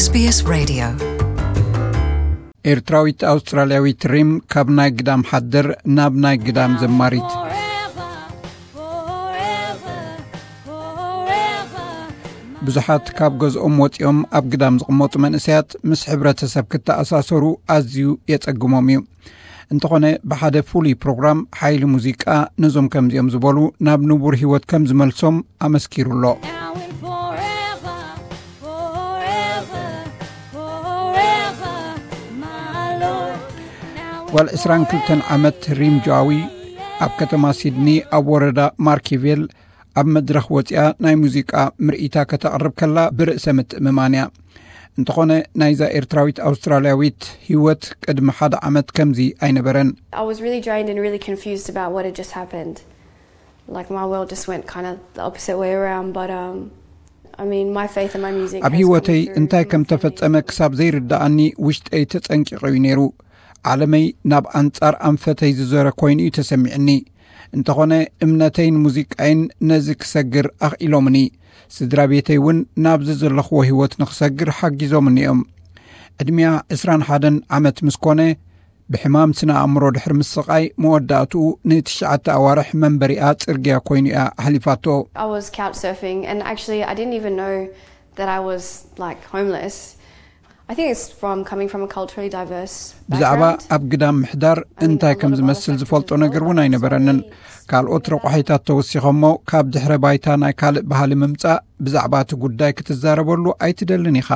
SBS Radio. ኤርትራዊት ኣውስትራልያዊት ሪም ካብ ናይ ግዳም ሓደር ናብ ናይ ግዳም ዘማሪት። ብዙሓት ካብ ገዝኦም ወጺኦም ኣብ ግዳም ዝቕመጡ መንእሰያት ምስ ሕብረተሰብ ክተኣሳሰሩ ኣዝዩ የጸግሞም እዩ። እንተኾነ ብሓደ ፍሉይ ፕሮግራም ሓይሊ ሙዚቃ ነዞም ከምዚኦም ዝበሉ ናብ ንቡር ህይወት ከም ዝመልሶም ኣመስኪሩ ኣሎ። ጓል ዕስራን ክልተን ዓመት ሪም ጆኣዊ ኣብ ከተማ ሲድኒ ኣብ ወረዳ ማርኪቬል ኣብ መድረኽ ወፂኣ ናይ ሙዚቃ ምርኢታ ከተቕርብ ከላ ብርእሰ ምትእምማን እያ። እንተኾነ ናይዛ ኤርትራዊት ኣውስትራልያዊት ህይወት ቅድሚ ሓደ ዓመት ከምዚ ኣይነበረን። I was really drained and really confused about what had just happened. Like my world just went kind of the opposite way around. But um, I mean, my faith and my music. ኣብ ህይወተይ እንታይ ከም ተፈጸመ ክሳብ ዘይርዳኣኒ ውሽጠይ ተጸንቂቑ እዩ ነይሩ። ዓለመይ ናብ ኣንጻር ኣንፈተይ ዝዞረ ኮይኑ እዩ ተሰሚዕኒ። እንተኾነ እምነተይን ሙዚቃይን ነዚ ክሰግር ኣኽኢሎምኒ። ስድራ ቤተይ እውን ናብዚ ዘለኽዎ ህይወት ንኽሰግር ሓጊዞምኒ እዮም። ዕድሚያ ዕስራን ሓደን ዓመት ምስ ኮነ ብሕማም ስነ ኣእምሮ ድሕሪ ምስቓይ መወዳእትኡ ንትሽዓተ ኣዋርሕ መንበሪኣ ጽርግያ ኮይኑ እያ ኣሕሊፋቶ። I was couch surfing, and actually, I didn't even know that I was like homeless. I think it's from coming from a culturally diverse ብዛዕባ ኣብ ግዳም ምሕዳር እንታይ ከም ዝመስል ዝፈልጦ ነገር እውን ኣይነበረንን። ካልኦት ረቋሒታት ተወሲኸሞ ካብ ድሕረ ባይታ ናይ ካልእ ባህሊ ምምጻእ ብዛዕባ እቲ ጉዳይ ክትዛረበሉ ኣይትደልን ኢኻ።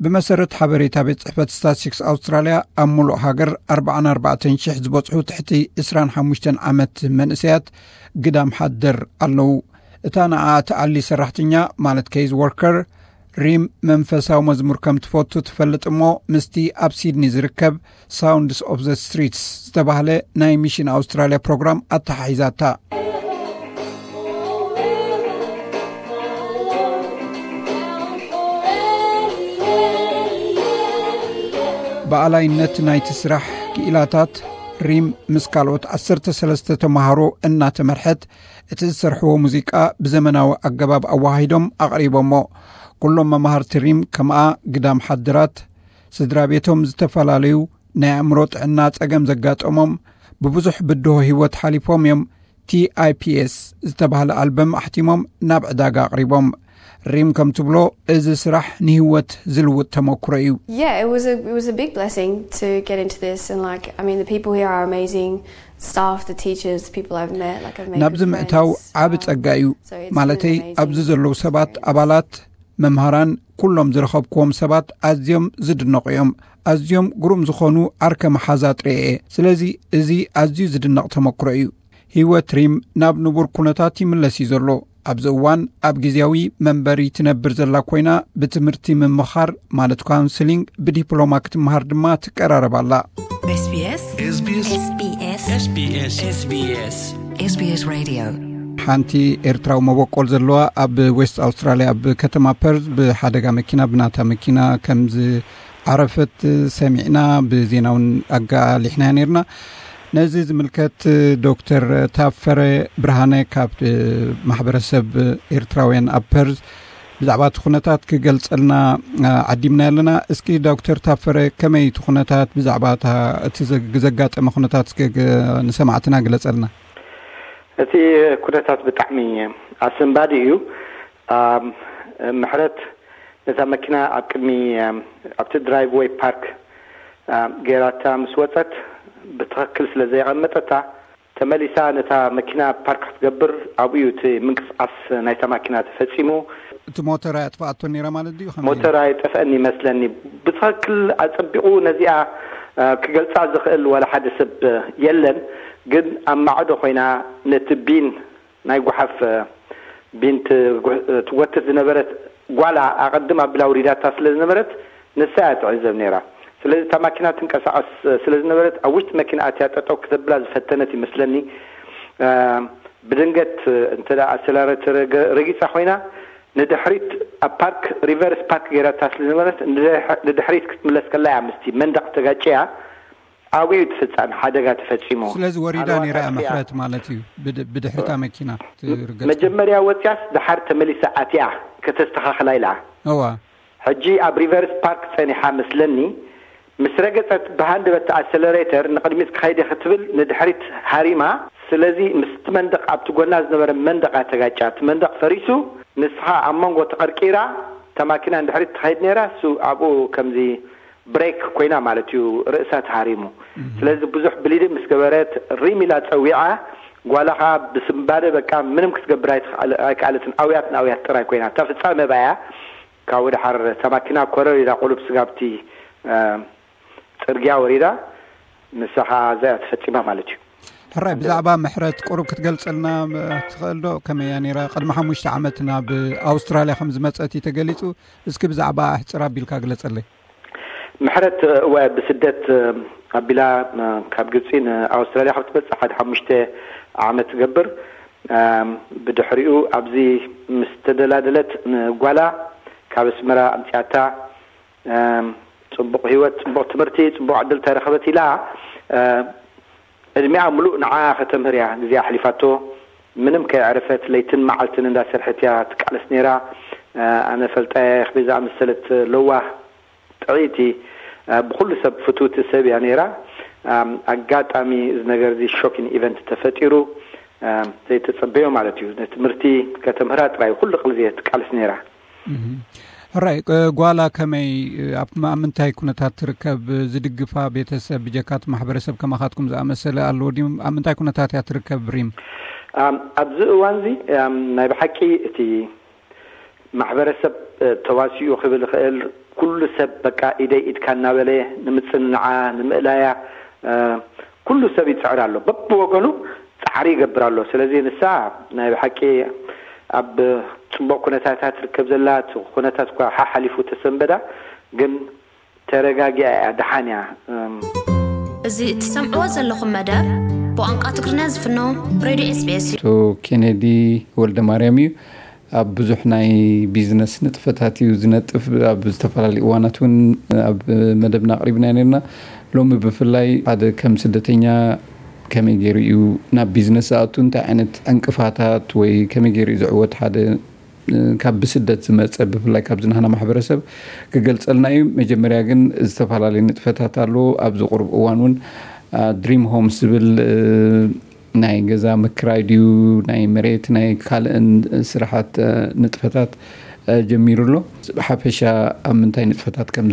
ብመሰረት ሓበሬታ ቤት ጽሕፈት ስታትስቲክስ ኣውስትራልያ ኣብ ሙሉእ ሃገር ኣርባዓን ኣርባዕተን ሽሕ ዝበጽሑ ትሕቲ ዕስራን ሓሙሽተን ዓመት መንእሰያት ግዳም ሓደር ኣለዉ። እታ ንኣ ትኣሊ ሰራሕተኛ ማለት ኬዝ ወርከር ሪም መንፈሳዊ መዝሙር ከም ትፈቱ ትፈልጥ እሞ ምስቲ ኣብ ሲድኒ ዝርከብ ሳውንድስ ኦፍ ዘ ስትሪትስ ዝተባህለ ናይ ሚሽን ኣውስትራልያ ፕሮግራም ኣተሓሒዛታ። ብኣላይነት ናይቲ ስራሕ ክኢላታት ሪም ምስ ካልኦት ዓሰርተ ሰለስተ ተምሃሮ እናተመርሐት እቲ ዝሰርሕዎ ሙዚቃ ብዘመናዊ ኣገባብ ኣወሃሂዶም ኣቕሪቦሞ። ኩሎም መማህርቲ ሪም ከምኣ ግዳም ሓድራት ስድራ ቤቶም ዝተፈላለዩ ናይ ኣእምሮ ጥዕና ጸገም ዘጋጠሞም ብብዙሕ ብድሆ ህይወት ሓሊፎም እዮም። ቲ ኣይ ፒ ኤስ ዝተባህለ ኣልበም ኣሕቲሞም ናብ ዕዳጋ ኣቕሪቦም። ሪም ከም ትብሎ እዚ ስራሕ ንህይወት ዝልውጥ ተመክሮ እዩ። Yeah, it was a it was a big blessing to get into this, and like I mean, the people here are amazing. Staff, the teachers, the people I've met, like I've made ናብዚ good ምእታው friends. ዓቢ ጸጋ እዩ። So it's ማለተይ been an amazing ኣብዚ ዘለዉ ሰባት experience. ኣባላት መምሃራን ኩሎም ዝረኸብክዎም ሰባት ኣዝዮም ዝድነቑ እዮም። ኣዝዮም ግሩም ዝኾኑ ዓርከ መሓዛ ጥሬ እየ። ስለዚ እዚ ኣዝዩ ዝድነቕ ተመክሮ እዩ። ህይወት ሪም ናብ ንቡር ኩነታት ይምለስ እዩ ዘሎ። ኣብዚ እዋን ኣብ ግዜያዊ መንበሪ ትነብር ዘላ ኮይና ብትምህርቲ ምምኻር ማለት ካውንስሊንግ ብዲፕሎማ ክትምሃር ድማ ትቀራረብ ኣላ። SBS SBS SBS SBS SBS SBS SBS Radio። ሓንቲ ኤርትራዊ መበቆል ዘለዋ ኣብ ዌስት ኣውስትራልያ ኣብ ከተማ ፐርዝ ብሓደጋ መኪና ብናታ መኪና ከም ዝዓረፈት ሰሚዕና ብዜና እውን ኣጋሊሕናያ ነርና። ነዚ ዝምልከት ዶክተር ታፈረ ብርሃነ ካብ ማሕበረሰብ ኤርትራውያን ኣብ ፐርዝ ብዛዕባ እቲ ኩነታት ክገልጸልና ዓዲምና ኣለና። እስኪ ዶክተር ታፈረ ከመይ እቲ ኩነታት ብዛዕባ እቲ ዘጋጠመ ኩነታት እስኪ ንሰማዕትና ግለጸልና። እቲ ኩነታት ብጣዕሚ ኣሰንባዲ እዩ። ምሕረት ነታ መኪና ኣብ ቅድሚ ኣብቲ ድራይቭ ወይ ፓርክ ገይራታ ምስ ወፀት ብትኽክል ስለ ዘየቐመጠታ ተመሊሳ ነታ መኪና ፓርክ ክትገብር ኣብኡ እዩ እቲ ምንቅስቃስ ናይታ ማኪና ተፈፂሙ። እቲ ሞተር ኣጥፍኣቶ ነይራ ማለት ድዩ? ሞተር ኣይጠፍአን ይመስለኒ። ብትኽክል ኣፀቢቑ ነዚኣ ክገልፃ ዝኽእል ዋላ ሓደ ሰብ የለን። ግን ኣብ ማዕዶ ኮይና ነቲ ቢን ናይ ጓሓፍ ቢን ትጎትት ዝነበረት ጓላ ኣቐድም ኣቢላ ውሪዳታ ስለ ዝነበረት ንሳ እያ ትዕዘብ ነይራ። ስለዚ እታ ማኪና ትንቀሳቐስ ስለ ዝነበረት ኣብ ውሽጢ መኪና ኣትያ ጠጠው ክተብላ ዝፈተነት ይመስለኒ። ብድንገት እንተ ኣሰላረተር ረጊፃ ኮይና ንድሕሪት ኣብ ፓርክ ሪቨርስ ፓርክ ገይራታ ስለ ዝነበረት ንድሕሪት ክትምለስ ከላ እያ ምስቲ መንደቕ ተጋጭያ። ኣብኡ እዩ ትፍፃም ሓደጋ ተፈፂሙ። ስለዚ ወሪዳ ነይራ እያ ምሕረት ማለት እዩ። ብድሕሪታ መኪና ትርገፅ። መጀመርያ ወፅያስ ድሓር ተመሊሳ ኣትያ ከተስተኻኽላ ኢላ። እዋ ሕጂ ኣብ ሪቨርስ ፓርክ ጸኒሓ መስለኒ። ምስ ረገጸት ብሃንደበት ኣሰለሬተር ንቕድሚት ክኸይድ ክትብል ንድሕሪት ሃሪማ። ስለዚ ምስቲ መንደቕ ኣብቲ ጎና ዝነበረ መንደቕ ኣተጋጫ። እቲ መንደቕ ፈሪሱ፣ ንስኻ ኣብ መንጎ ተቐርቂራ፣ እታ ማኪና ንድሕሪት ትኸይድ ነይራ። እሱ ኣብኡ ከምዚ ብሬክ ኮይና ማለት እዩ፣ ርእሳ ተሃሪሙ። ስለዚ ብዙሕ ብሊድ ምስ ገበረት ሪም ኢላ ጸዊዓ። ጓላ ኸዓ ብስንባደ በቃ ምንም ክትገብር ኣይትኽኣል-፣ ኣይከኣለትን። ኣውያት ንኣውያት ጥራይ ኮይና። እታ ፍጻመ ባያ ካብኡ ደሓር እታ ማኪና ኮረር ኢላ ቁሩብ ስጋብቲ፣ እ፣ ጽርግያ ወሪዳ፣ ንሳ ኸዓ እዚኣ ተፈጺማ ማለት እዩ። ሕራይ፣ ብዛዕባ ምሕረት ቁሩብ ክትገልጸልና፣ እ፣ ትኽእል ዶ? ከመይ እያ ነይራ? ቅድሚ ሓሙሽተ ዓመት ናብ ኣውስትራልያ ከም ዝመጸት እዩ ተገሊጹ። እስኪ ብዛዕባ ኣሕጽር ኣቢልካ ግለጸለይ። ምሕረት፣ እወ፣ ብስደት፣ እ፣ ኣቢላ፣ እ፣ ካብ ግብጺ ንኣውስትራልያ ካብ ትመጽእ ሓደ ሓሙሽተ ዓመት ትገብር። እም፣ ብድሕሪኡ ኣብዚ ምስ ተደላደለት ንጓላ ካብ ኣስመራ ኣምጺኣታ። እም፣ ጽቡቕ ህይወት፣ ጽቡቕ ትምህርቲ፣ ጽቡቕ ዕድል ተረኸበት ኢላ፣ እ፣ ዕድሚኣ ምሉእ ንዓ ከተምህር እያ ግዜ ኣሕሊፋቶ። ምንም ከየዕረፈት ለይትን መዓልትን እንዳሰርሐት እያ ትቃለስ ነይራ። እ፣ ኣነ ፈልጣ እየ፣ ከመይ ዝኣመሰለት ለዋህ፣ ጥዕይቲ፣ እ፣ ብኹሉ ሰብ ፍትውቲ ሰብ እያ ነይራ። እም፣ ኣጋጣሚ እዚ ነገር እዚ ሾኪን ኢቨንት ተፈጢሩ፣ እም፣ ዘይተጸበዮ ማለት እዩ። ንትምህርቲ ከተምህራ ጥራይ ኩሉ ቅልዚ እየ ትቃለስ ነይራ። እህ። ሕራይ፣ እ፣ ጓላ ከመይ፣ እ፣ ኣብ፣ ኣብ ምንታይ ኩነታት ትርከብ? ዝድግፋ ቤተሰብ፣ ብጀካት ማሕበረሰብ ከማኻትኩም ዝኣመሰለ ኣለዎ ድዩ? ኣብ ምንታይ ኩነታት እያ ትርከብ ሪም? ኣም፣ ኣብዚ እዋን እዚ፣ ኣም፣ ናይ ብሓቂ እቲ ማሕበረሰብ፣ እ፣ ተዋሲኡ ክብል ይኽእል። ኩሉ ሰብ በቃ ኢደይ ኢድካ እናበለ ንምጽንናዓ፣ ንምእላያ፣ እ፣ ኩሉ ሰብ ይጽዕር ኣሎ። በብወገኑ ጻዕሪ ይገብር ኣሎ። ስለዚ ንሳ ናይ ብሓቂ ኣብ ጽቡቕ ኩነታት እያ ትርከብ ዘላ። እቲ ኩነታት እኳ ሓሓሊፉ ተሰንበዳ፣ ግን ተረጋጊኣ እያ፣ ደሓን እያ። እም። እዚ እትሰምዕዎ ዘለኹም መደብ ብቋንቋ ትግርኛ ዝፍኖ ሬድዮ ኤስ ቢ ኤስ እዩ። ኣቶ ኬኔዲ ወልደ ማርያም እዩ። ኣብ ብዙሕ ናይ ቢዝነስ ንጥፈታት እዩ ዝነጥፍ። ኣብ ዝተፈላለዩ እዋናት እውን ኣብ መደብና ኣቕሪብና ነርና። ሎሚ ብፍላይ ሓደ ከም ስደተኛ ከመይ ገይሩ እዩ ናብ ቢዝነስ ዝኣቱ፣ እንታይ ዓይነት ዕንቅፋታት ወይ ከመይ ገይሩ እዩ ዝዕወት፣ ሓደ፣ እ፣ ካብ ብስደት ዝመጸ፣ ብፍላይ ካብዚ ናህና ማሕበረሰብ ክገልጸልና እዩ። መጀመርያ ግን ዝተፈላለዩ ንጥፈታት ኣለዎ። ኣብዚ ቁሩብ እዋን እውን፣ አ፣ ድሪም ሆምስ ዝብል፣ እ፣ ናይ ገዛ ምክራይ ድዩ፣ ናይ መሬት፣ ናይ ካልእን ስራሓት፣ እ፣ ንጥፈታት፣ እ፣ ጀሚሩ ኣሎ። ብሓፈሻ ኣብ ምንታይ ንጥፈታት ከም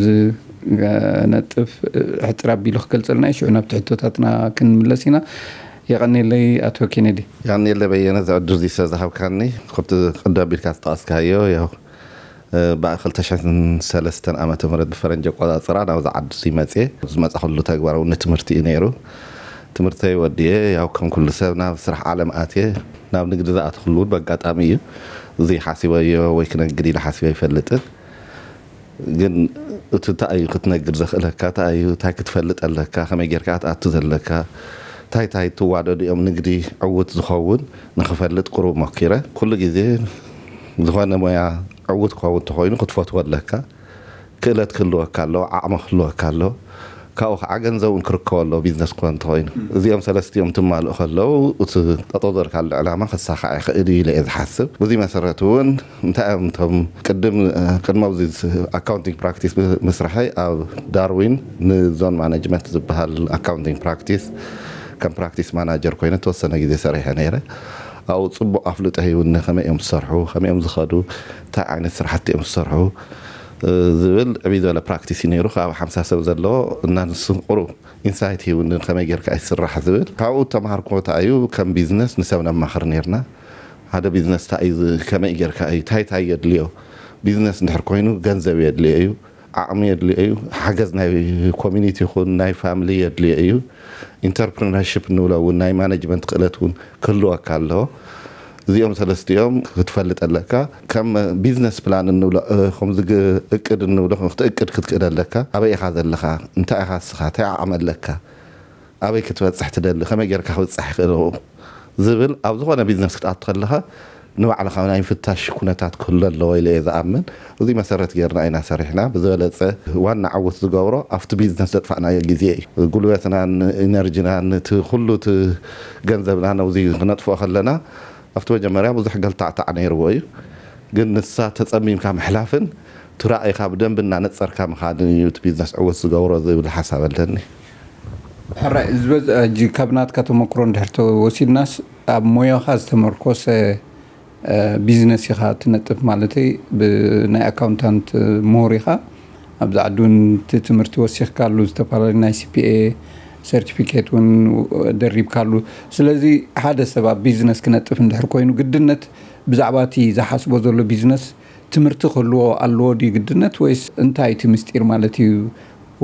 ዝነጥፍ፣ እ፣ ሕጽር ኣቢሉ ክገልጸልና እዩ። ሽዑ ናብቲ ሕቶታትና ክንምለስ ኢና። የቐኔለይ ኣቶ ኬኔዲ። የቐኔለይ በየነ፣ እዚ ዕድል እዚ ስለ ዝሃብካኒ። ከምቲ ቅድም ኣቢልካ ዝጠቐስካዮ፣ ያው፣ እ፣ ብ ክልተ ሽሕን ሰለስተን ዓመተ ምህረት ብፈረንጂ ኣቆጻጽራ ናብዚ ዓዲ እዚ መጽየ። ዝመጻኹሉ ተግባር እውን ንትምህርቲ እዩ ነይሩ። ትምህርተይ ወዲየ፣ ያው ከም ኩሉ ሰብ ናብ ስራሕ ዓለም ኣትየ። ናብ ንግዲ ዝኣተኹሉ እውን በጋጣሚ እዩ። እዚ ሓሲበዮ ወይ ክነግድ ኢለ ሓሲበ ኣይፈልጥን። ግን እቲ እንታይ እዩ ክትነግድ ዘኽእለካ፣ እንታይ እዩ፣ እንታይ ክትፈልጥ ኣለካ፣ ከመይ ጌርካ ክትኣቱ ዘለካ፣ እንታይ እንታይ ትዋደዱ እዮም ንግዲ ዕዉት ዝኸውን ንኽፈልጥ ቁሩብ ሞኪረ። ኩሉ ግዜ ዝኾነ ሞያ ዕዉት ክኸውን እንተኾይኑ ክትፈትዎ ኣለካ። ክእለት ክህልወካ ኣለዎ፣ ዓቕሚ ክህልወካ ኣለዎ። ካብኡ ከዓ ገንዘብ እውን ክርከቦ ኣለዎ፣ ቢዝነስ ክኾን እንተኾይኑ። እዚኦም ሰለስቲኦም ትማልኡ ከለዉ፣ እቲ ጠጠው ዘርካሉ ዕላማ ክሳኻዕ ይኽእል እዩ ኢለ እየ ዝሓስብ። በዚ መሰረት እውን እንታይ እዮም እቶም ቅድም፣ እ፣ ቅድሚ ኣብዚ ስ-፣ ኣካውንቲንግ ፕራክቲስ ብ-፣ ምስራሐይ ኣብ ዳርዊን ንዞን ማኔጅመንት ዝበሃል ኣካውንቲንግ ፕራክቲስ ከም ፕራክቲስ ማናጀር ኮይነ ተወሰነ ግዜ ሰሪሐ ነይረ። ኣብኡ ጽቡቕ ኣፍልጦ ሂቡኒ፣ ከመይ እዮም ዝሰርሑ፣ ከመይ እዮም ዝኸዱ፣ እንታይ ዓይነት ስራሕቲ እዮም ዝሰርሑ፣ እ፣ ዝብል ዕብይ ዝበለ ፕራክቲስ እዩ ነይሩ። ካብ ሓምሳ ሰብ ዘለዎ እና ንሱ ቁሩብ ኢንሳይት ሂቡኒ፣ ከመይ ጌርካ እዩ ዝስራሕ ዝብል። ካብኡ ተማሃርኩዎ እንታይ እዩ፣ ከም ቢዝነስ ንሰብ ነማኽር ነይርና። ሓደ ቢዝነስ እንታይ እዩ ዝ-፣ ከመይ ጌርካ እዩ፣ እንታይ እንታይ የድልዮ? ቢዝነስ እንድሕር ኮይኑ ገንዘብ የድልዮ እዩ፣ ዓቕሚ የድልዮ እዩ፣ ሓገዝ ናይ ኮሚኒቲ ይኹን ናይ ፋሚሊ የድልዮ እዩ። ኢንተርፕረነርሺፕ እንብሎ እውን ናይ ማኔጅመንት ክእለት እውን ክህልወካ ኣለዎ። እዚኦም ሰለስቲኦም ክትፈልጥ ኣለካ። ከም ቢዝነስ ፕላን እንብሎ፣ እ፣ ከምዚ ግ-፣ እቅድ እንብሎ ክትእቅድ ክትክእል ኣለካ። ኣበይ ኢኻ ዘለኻ? እንታይ ኢኻ እስኻ? እንታይ ዓቕሚ ኣለካ? ኣበይ ክትበጽሕ ትደሊ? ከመይ ጌርካ ክብጻሕ ይኽእል ዝብል ኣብ ዝኾነ ቢዝነስ ክትኣቱ ከለኻ ንባዕልኻ ናይ ምፍታሽ ኩነታት ክህሉ ኣለዎ ኢለ እየ ዝኣምን። እዚ መሰረት ጌርና ኢና ሰሪሕና። ብዝበለጸ ዋና ዕውት ዝገብሮ ኣብቲ ቢዝነስ ዘጥፋእናዮ ግዜ እዩ። ጉልበትናን ኢነርጂናን እቲ ኩሉ እቲ ገንዘብና ነዚ ክነጥፍኦ ከለና ኣብቲ መጀመርያ ብዙሕ ገልታዕታዕ ነይርዎ እዩ። ግን ንሳ ተጸሚምካ ምሕላፍን እቲ ራእይካ ብደንቢ እናነፀርካ ምኻድን እዩ እቲ ቢዝነስ ዕውት ዝገብሮ ዝብል ሓሳብ ኣለኒ። ሕራይ ዝበዝ ሕጂ ካብ ናትካ ተመክሮ እንድሕር ተወሲድናስ ኣብ ሞያኻ ዝተመርኮሰ ቢዝነስ ኢኻ ትነጥፍ ማለተይ ብናይ ኣካውንታንት ምሁር ኢኻ ኣብዚ ዓዲ እውን እቲ ትምህርቲ ወሲኽካሉ ዝተፈላለዩ ናይ ሲፒኤ ሰርቲፊኬት እውን ደሪብካሉ ስለዚ ሓደ ሰብ ኣብ ቢዝነስ ክነጥፍ እንድሕር ኮይኑ ግድነት ብዛዕባ እቲ ዝሓስቦ ዘሎ ቢዝነስ ትምህርቲ ክህልዎ ኣለዎ ድዩ ግድነት ወይስ እንታይ እቲ ምስጢር ማለት እዩ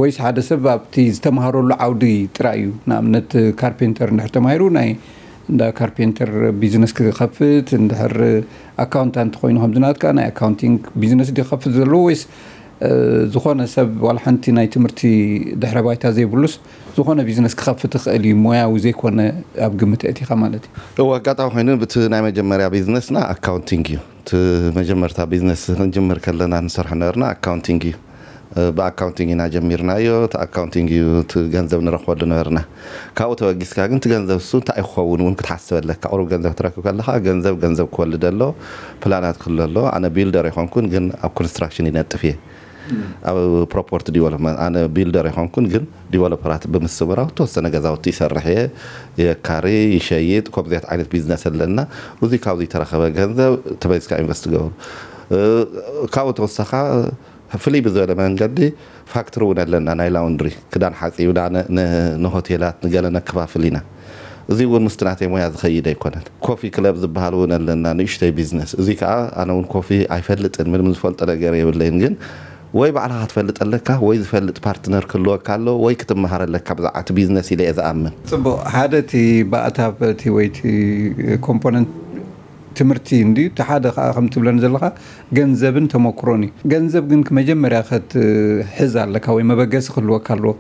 ወይስ ሓደ ሰብ ኣብቲ ዝተምሃረሉ ዓውዲ ጥራይ እዩ ንኣብነት ካርፔንተር እንድሕር ተማሂሩ ናይ እንዳ ካርፔንተር ቢዝነስ ክኸፍት እንድሕር ኣካውንታንት ኮይኑ ከምዚ ናትካ ናይ ኣካውንቲንግ ቢዝነስ ድዩ ክኸፍት ዘለዎ ወይስ ዝኾነ ሰብ ዋላ ሓንቲ ናይ ትምህርቲ ድሕረ ባይታ ዘይብሉስ ዝኾነ ቢዝነስ ክኸፍት ይኽእል እዩ ሞያዊ ዘይኮነ ኣብ ግምት ኣእቲኻ ማለት እዩ እወ ኣጋጣሚ ኮይኑ ብቲ ናይ መጀመርያ ቢዝነስና ኣካውንቲንግ እዩ እቲ መጀመርታ ቢዝነስ ክንጅምር ከለና ንሰርሖ ነበርና ኣካውንቲንግ እዩ ብኣካውንቲንግ ኢና ጀሚርናዮ እቲ ኣካውንቲንግ እዩ እቲ ገንዘብ ንረክበሉ ነበርና ካብኡ ተበጊስካ ግን እቲ ገንዘብ እሱ እንታይ ክኸውን እውን ክትሓስብ ኣለካ ቁሩብ ገንዘብ ትረክብ ከለካ ገንዘብ ገንዘብ ክወልድ ኣሎ ፕላናት ክህሉ ኣሎ ኣነ ቢልደር ኣይኮንኩን ግን ኣብ ኮንስትራክሽን ይነጥፍ እየ ኣብ ፕሮፖርቲ ዲቨሎፕመንት ኣነ ቢልደር ኣይኮንኩን ግን ዲቨሎፐራት ብምስምራው ተወሰነ ገዛውቲ ይሰርሕ እየ የካሪ ይሸይጥ ከምዚያት ዓይነት ቢዝነስ ኣለና እዚ ካብዚ ተረኸበ ገንዘብ ተመሊስካ ኢንቨስት ገብሩ ካብኡ ተወሰኻ ፍልይ ብዝበለ መንገዲ ፋክትሪ እውን ኣለና ናይ ላውንድሪ ክዳን ሓፂብና ንሆቴላት ንገለ ነከፋፍል ኢና እዚ እውን ምስቲ ናተይ ሞያ ዝኸይድ ኣይኮነን ኮፊ ክለብ ዝበሃል እውን ኣለና ንእሽተይ ቢዝነስ እዚ ከዓ ኣነ እውን ኮፊ ኣይፈልጥን ምንም ዝፈልጦ ነገር የብለይን ግን ወይ ባዕልኻ ክትፈልጥ ኣለካ ወይ ዝፈልጥ ፓርትነር ክህልወካ ኣሎ ወይ ክትመሃር ኣለካ ብዛዕባ እቲ ቢዝነስ ኢለ እየ ዝኣምን ፅቡቅ ሓደ እቲ ባእታ እቲ ወይ እቲ ኮምፖነንት ትምህርቲ እንድዩ እቲ ሓደ ከዓ ከም ትብለኒ ዘለካ ገንዘብን ተመክሮን እዩ ገንዘብ ግን መጀመርያ ከትሕዝ ኣለካ ወይ መበገሲ ክህልወካ ኣለዎ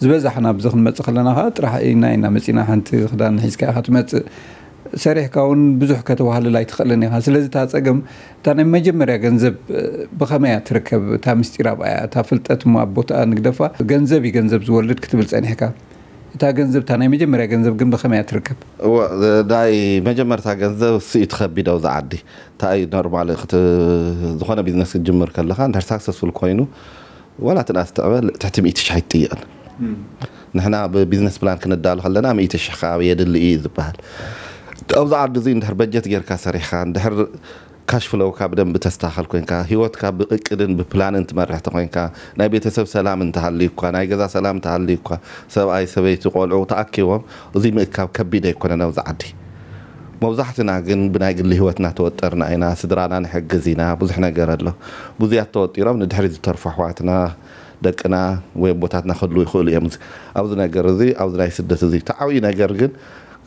ዝበዛሕና ኣብዚ ክንመፅእ ከለና ከዓ ጥራሕ ኢና ኢና መፂና ሓንቲ ክዳን ሒዝካ ኢካ ትመፅእ ሰሪሕካ እውን ብዙሕ ከተዋህልል ኣይትኽእልን ኢኻ ስለዚ እታ ፀገም እታ ናይ መጀመርያ ገንዘብ ብኸመይ እያ ትርከብ እታ ምስጢር ኣብኣ እያ እታ ፍልጠት እሞ ኣብ ቦታኣ ንግደፋ ገንዘብ እዩ ገንዘብ ዝወልድ ክትብል ፀኒሕካ እታ ገንዘብ እታ ናይ መጀመርያ ገንዘብ ግን ብኸመይ እያ ትርከብ ናይ መጀመርታ ገንዘብ ስኢት ከቢድ ኣብዚ ዓዲ እንታይ ኖርማል ዝኾነ ቢዝነስ ክትጅምር ከለካ እንድሕር ሳክሰስፉል ኮይኑ ዋላ እቲ ናስ ትዕበ ትሕቲ ሚእቲ ሽሕ ኣይትጥይቕን ንሕና ብቢዝነስ ፕላን ክንዳሎ ከለና ሚእቲ ሽሕ ከዓብ የድሊ እዩ ዝበሃል ኣብዚ ዓዲ እዚ እንድሕር በጀት ጌርካ ሰሪሕካ እንድሕር ካሽ ፍሎውካ ብደንቢ ተስተኻኸል ኮይንካ ህይወትካ ብእቅድን ብፕላንን ትመርሕ ተኮይንካ ናይ ቤተሰብ ሰላም እንተሃልዩ እኳ ናይ ገዛ ሰላም እንተሃልዩ እኳ ሰብኣይ ሰበይቲ ቆልዑ ተኣኪቦም እዚ ምእካብ ከቢድ ኣይኮነን ኣብዚ ዓዲ መብዛሕትና ግን ብናይ ግሊ ህይወትና ተወጠርና ኢና ስድራና ንሕግዝ ኢና ብዙሕ ነገር ኣሎ ብዙያት ተወጢሮም ንድሕሪ ዝተርፉ ኣሕዋትና ደቅና ወይ ኣቦታትና ክህልዉ ይኽእሉ እዮም ኣብዚ ነገር እዚ ኣብዚ ናይ ስደት እዚ ተዓብዩ ነገር ግን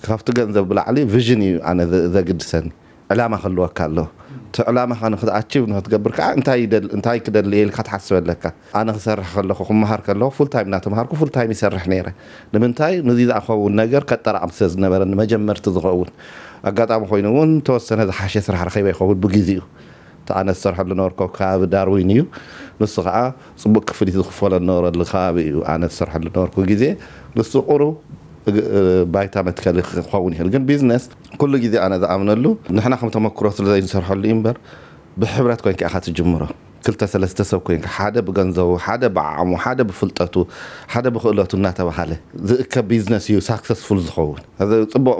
ካብቲ ገንዘብ ብላዕሊ ቪዥን እዩ ኣነ ዘግድሰኒ ዕላማ ክህልወካ ኣለዎ እቲ ዕላማኻ ንክትኣችቭ ንክትገብር ከዓ እንታይ ክደሊ ኢልካ ትሓስብ ኣለካ ኣነ ክሰርሕ ከለኹ ክመሃር ከለኹ ፉል ታይም እናተምሃርኩ ፉል ታይም ይሰርሕ ነይረ ንምንታይ ንዚ ዝኣኸውን ነገር ከጠራቕም ስለ ዝነበረ ንመጀመርቲ ዝኸውን ኣጋጣሚ ኮይኑ እውን ተወሰነ ዝሓሸ ስራሕ ረኺበ ይኸውን ብግዜኡ እቲ ኣነ ዝሰርሐሉ ነበርኩ ኣብ ከባቢ ዳርዊን እዩ። ንሱ ከዓ ፅቡቅ ክፍሊት ዝኽፈሎ ዝነበረሉ ከባቢ እዩ ኣነ ዝሰርሐሉ ነበርኩ ግዜ። ንሱ ቁሩብ ባይታ መትከሊ ክኸውን ይኽእል፣ ግን ቢዝነስ ኩሉ ግዜ ኣነ ዝኣምነሉ ንሕና ከም ተመክሮ ስለ ዘይንሰርሐሉ እዩ እምበር ብሕብረት ኮይንካ ኢኻ ትጅምሮ። ክልተ ሰለስተ ሰብ ኮይንካ ሓደ ብገንዘቡ፣ ሓደ ብዓቕሙ፣ ሓደ ብፍልጠቱ፣ ሓደ ብኽእለቱ እናተባሃለ ዝእከብ ቢዝነስ እዩ ሳክሰስፉል ዝኸውን። እዚ ጽቡቕ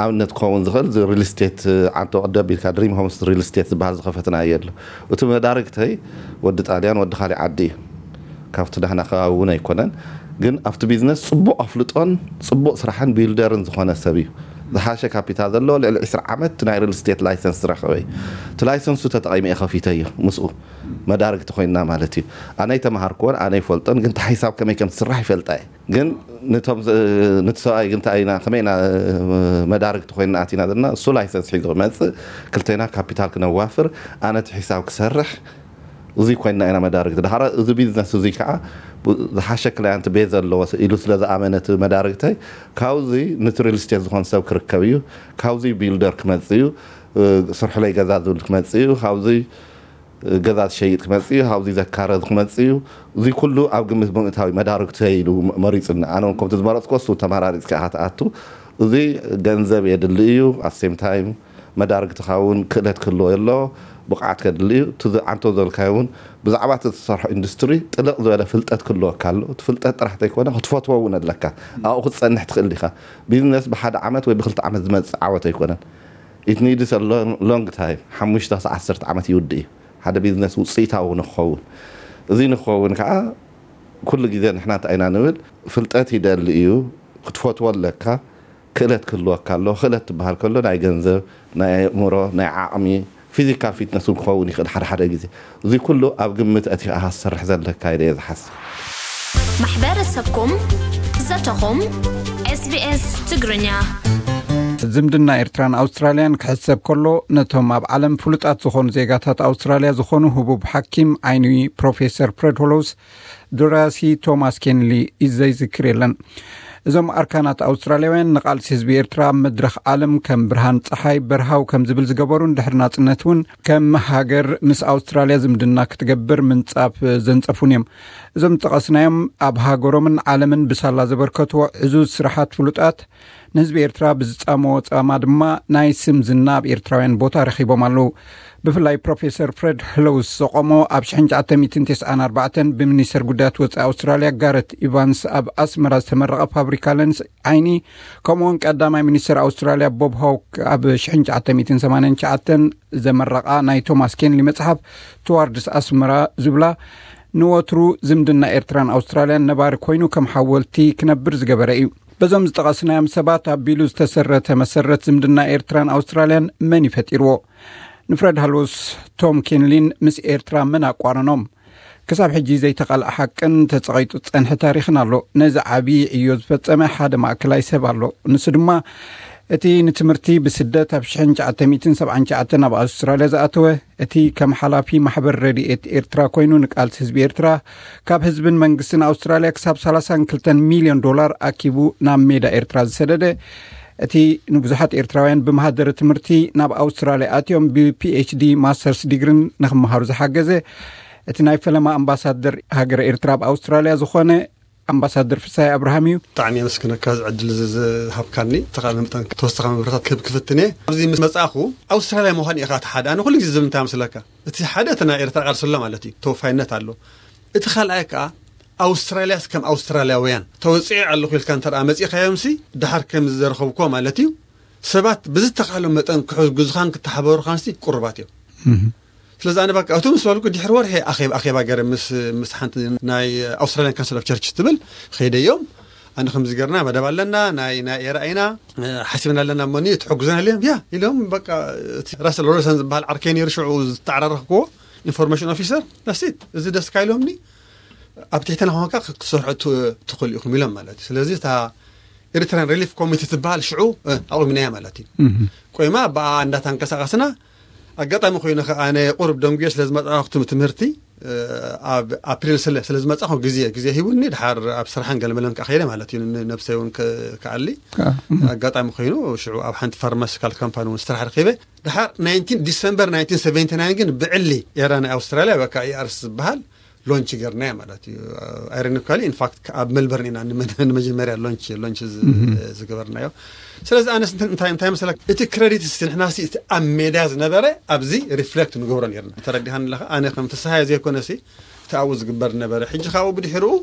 ኣብነት ክኸውን ዝኽእል እዚ ሪል ስቴት ዓንቶ ቅደም ኢልካ ድሪም ሆምስ ሪል ስቴት ዝበሃል ዝኸፈትናዮ ኣሎ። እቲ መዳርግተይ ወዲ ጣልያን ወዲ ካሊእ ዓዲ እዩ። ካብቲ ናህና ከባቢ እውን ኣይኮነን፣ ግን ኣብቲ ቢዝነስ ጽቡቕ ኣፍልጦን ጽቡቕ ስራሕን ቢልደርን ዝኾነ ሰብ እዩ። ዝሓሸ ካፒታል ዘለዎ ልዕሊ ዕስራ ዓመት ናይ ሪል ስቴት ላይሰንስ ዝረኸበ እዩ። እቲ ላይሰንሱ ተጠቒመ እየ ከፊተዮ ምስኡ መዳርግቲ ኮይንና ማለት እዩ። ኣነ ኣይተምሃርክዎን ኣነ ኣይፈልጦን፣ ግን እቲ ሓይሳብ ከመይ ከም ዝስራሕ ይፈልጣ እየ። ግን ንቶም ነቲ ሰብኣይ ግን እንታይ ኢና ከመይ ኢና መዳርግቲ ኮይንና ኣቲና ዘለና፣ እሱ ላይሰንስ ሒዙ ክመጽእ፣ ክልቴና ካፒታል ክነዋፍር፣ ኣነ እቲ ሒሳብ ክሰርሕ፣ እዙይ ኮይንና ኢና መዳርግቲ። ድሓር እዚ ቢዝነስ እዙይ ከዓ ዝሓሸ ክላያንት ቤዝ ኣለዎ ኢሉ ስለ ዝኣመነ እቲ መዳርግተይ ካብዚ ነቲ ሪል ስቴት ዝኾን ሰብ ክርከብ እዩ፣ ካብዚ ቢልደር ክመጽእ እዩ፣ ስርሕለይ ገዛ ዝብል ክመጽእ እዩ፣ ካብዚ ገዛ ዝሸይጥ ክመጽእ እዩ፣ ካብዚ ዘካረ ክመጽእ እዩ። እዚ ኩሉ ኣብ ግምት ብምእታው እዩ መዳርግተይ ኢሉ መሪጹኒ። ኣነ እውን ከምቲ ዝመረጽኩ እሱ ተመራሪጽካ ኢኻ ትኣቱ። እዚ ገንዘብ የድሊ እዩ፣ ኣት ሴም ታይም መዳርግትኻ እውን ክእለት ክህልዎ የሎ። ብቕዓት ከድሊ እዩ። እቲ ዓንቶ ዘልካዮ እውን ብዛዕባ እቲ ዝሰርሖ ኢንዱስትሪ ጥልቕ ዝበለ ፍልጠት ክህልወካ ኣሎ። እቲ ፍልጠት ጥራሕ ዘይኮነ ክትፈትዎ እውን ኣለካ። ኣብኡ ክትጸንሕ ትኽእል ኢኻ። ቢዝነስ ብሓደ ዓመት ወይ ብክልተ ዓመት ዝመጽእ ዓወት ኣይኮነን። ኢት ኒድስ ሎንግ ታይም፣ ሓሙሽተ ክሳብ ዓሰርተ ዓመት ይውድእ እዩ ሓደ ቢዝነስ ውፅኢታዊ ንክኸውን። እዚ ንክኸውን ከዓ ኩሉ ግዜ ንሕና እንታይ ኢና ንብል? ፍልጠት ይደሊ እዩ። ክትፈትዎ ኣለካ። ክእለት ክህልወካ ኣሎ። ክእለት ትበሃል ከሎ ናይ ገንዘብ፣ ናይ ኣእምሮ፣ ናይ ዓቕሚ፣ ፊዚካል ፊትነስ እውን ክኸውን ይኽእል ሓደ ሓደ ግዜ። እዚ ኩሉ ኣብ ግምት ኣእቲኻ ክትሰርሕ ዘለካ ኢለ እየ ዝሓስብ። ማሕበረሰብኩም፣ ዘተኹም፣ SBS ትግርኛ። ዝምድና ኤርትራን ኣውስትራልያን ክሕሰብ ከሎ፣ ነቶም ኣብ ዓለም ፍሉጣት ዝኾኑ ዜጋታት ኣውስትራልያ ዝኾኑ ህቡብ ሓኪም ዓይኒ ፕሮፌሰር ፍሬድ ሆሎውስ ደራሲ ቶማስ ኬንሊ ዘይዝክር የለን። እዞም ኣርካናት ኣውስትራልያውያን ንቓልሲ ህዝቢ ኤርትራ ኣብ መድረኽ ዓለም ከም ብርሃን ጸሓይ በርሃው ከም ዝብል ዝገበሩን ድሕሪ ናጽነት እውን ከም ሃገር ምስ ኣውስትራልያ ዝምድና ክትገብር ምንጻፍ ዘንጸፉን እዮም። እዞም ዝጠቐስናዮም ኣብ ሃገሮምን ዓለምን ብሳላ ዘበርከትዎ ዕዙዝ ስራሓት ፍሉጣት ንህዝቢ ኤርትራ ብዝጻመዎ ጻማ ድማ ናይ ስም ዝና ኣብ ኤርትራውያን ቦታ ረኺቦም ኣለዉ። ብፍላይ ፕሮፌሰር ፍሬድ ህለውስ ዘቆሞ ኣብ ሽሕን ትሽዓተ ሚእትን ተስዓን ኣርባዕተን ብሚኒስተር ጉዳያት ወጻኢ ኣውስትራልያ ጋረት ኢቫንስ ኣብ ኣስመራ ዝተመረቐ ፋብሪካ ለንስ ዓይኒ፣ ከምኡውን ቀዳማይ ሚኒስተር ኣውስትራልያ ቦብ ሆክ ኣብ ሽሕን ትሽዓተ ሚእትን ሰማንያን ትሽዓተን ዘመረቓ ናይ ቶማስ ኬንሊ መጽሓፍ ትዋርድስ ኣስመራ ዝብላ ንወትሩ ዝምድና ኤርትራን ኣውስትራልያን ነባሪ ኮይኑ ከም ሓወልቲ ክነብር ዝገበረ እዩ። በዞም ዝጠቐስናዮም ሰባት ኣቢሉ ዝተሰረተ መሰረት ዝምድና ኤርትራን ኣውስትራልያን መን ይፈጢርዎ? ንፍረድ ሃሎስ ቶም ኬንሊን ምስ ኤርትራ መን ኣቋረኖም? ክሳብ ሕጂ ዘይተቓልዐ ሓቅን ተጸቒጡ ዝጸንሐ ታሪኽን ኣሎ። ነዚ ዓቢ ዕዮ ዝፈጸመ ሓደ ማእከላይ ሰብ ኣሎ። ንሱ ድማ እቲ ንትምህርቲ ብስደት ኣብ ሽሕን ትሽዓተ ሚእትን ሰብዓን ትሽዓተን ናብ ኣውስትራልያ ዝኣተወ፣ እቲ ከም ሓላፊ ማሕበር ረድኤት ኤርትራ ኮይኑ ንቃልሲ ህዝቢ ኤርትራ ካብ ህዝብን መንግስትን ኣውስትራልያ ክሳብ ሰላሳን ክልተን ሚልዮን ዶላር ኣኪቡ ናብ ሜዳ ኤርትራ ዝሰደደ፣ እቲ ንብዙሓት ኤርትራውያን ብመሃደረ ትምህርቲ ናብ ኣውስትራልያ ኣትዮም ብፒኤችዲ ማስተርስ ዲግሪን ንክመሃሩ ዝሓገዘ፣ እቲ ናይ ፈለማ ኣምባሳደር ሃገረ ኤርትራ ኣብ ኣውስትራልያ ዝኾነ ኣምባሳደር ፍሳይ ኣብርሃም እዩ። ብጣዕሚ የመስግነካ እዚ ዕድል እዚ ዝሃብካኒ። ተኻለ መጠን ተወሳኺ መብረታት ክህብ ክፍትን እየ። ኣብዚ ምስ መጻእኹ ኣውስትራልያ ምዃን ኢኻ እቲ ሓደ። ኣነ ኩሉ ግዜ ዝብል እንታይ ምስለካ? እቲ ሓደ እቲ ናይ ኤርትራ ቃልሲ ኣሎ ማለት እዩ። ተወፋይነት ኣሎ። እቲ ካልኣይ ከኣ ኣውስትራልያስ ከም ኣውስትራልያውያን ተወጺዐ ኣለኹ ኢልካ እንተ ደኣ መጺእካዮምሲ ድሓር ከም ዝዘረኸብኩዎ ማለት እዩ። ሰባት ብዝተኻእሎም መጠን ክሕግዙኻን ክተሓባበሩኻንሲ ቅሩባት እዮም። ስለዚ ኣነ በቃ እቱ ምስ በልኩ ድሕሪ ወርሒ ኣኼባ ኣኼባ ገይረ ምስ ምስ ሓንቲ ናይ ኣውስትራሊያን ካውንስል ኦፍ ቸርች ትብል ኸይደዮም ኣነ ከምዚ ገርና መደብ ኣለና ናይ ናይ ኤራ ኢና ሓሲብና ኣለና እሞኒ ትሕግዙና ኢሎም ያ ኢሎም በቃ እቲ ራስል ሮበርትሰን ዝበሃል ዓርከይ ነይሩ ሽዑ ዝተዓራረኽክዎ ኢንፎርሜሽን ኦፊሰር ዳሲት እዚ ደስካ ኢሎምኒ ኣብ ትሕትና ኮንካ ክትሰርሑ ትኽእሉ ኢኹም ኢሎም ማለት እዩ ስለዚ እታ ኤሪትራን ሪሊፍ ኮሚቴ ትበሃል ሽዑ ኣቑሚናያ ማለት እዩ። ቆይማ ብኣ እንዳተንቀሳቐስና ኣጋጣሚ ኮይኑ ከኣ ኣነ ቁሩብ ደንጉየ ስለ ዝመጻኹ ትምህርቲ ኣብ ኣፕሪል ስለ ስለ ዝመጻኹ ግዜ ግዜ ሂቡኒ ድሓር ኣብ ስራሕን ገለመለን ከኣ ከይደ ማለት እዩ። ነብሰይ እውን ክኣሊ ኣጋጣሚ ኮይኑ ሽዑ ኣብ ሓንቲ ፋርማሲካል ካምፓኒ እውን ስራሕ ረኺበ። ድሓር ናይንቲን ዲሰምበር ናይንቲን ሰቨንቲ ናይን ግን ብዕሊ ኤራ ናይ ኣውስትራልያ በቃ ኢኣርስ ዝበሃል ሎንች ገርናዮ ማለት እዩ። ኣይሮኒካሊ ኢንፋክት ኣብ ሜልበርን ኢና ንመጀመርያ ሎንች ሎንች ዝገበርናዮ። ስለዚ ኣነስ እንታይ እንታይ መሰለካ እቲ ክረዲት ስ ንሕና ሲ እቲ ኣብ ሜዳ ዝነበረ ኣብዚ ሪፍሌክት ንገብሮ ነርና። ተረዲኻኒ ኣለኻ ኣነ ከም ፍስሃየ ዘይኮነ ሲ እቲ ኣብኡ ዝግበር ነበረ። ሕጂ ካብኡ ብድሕርኡ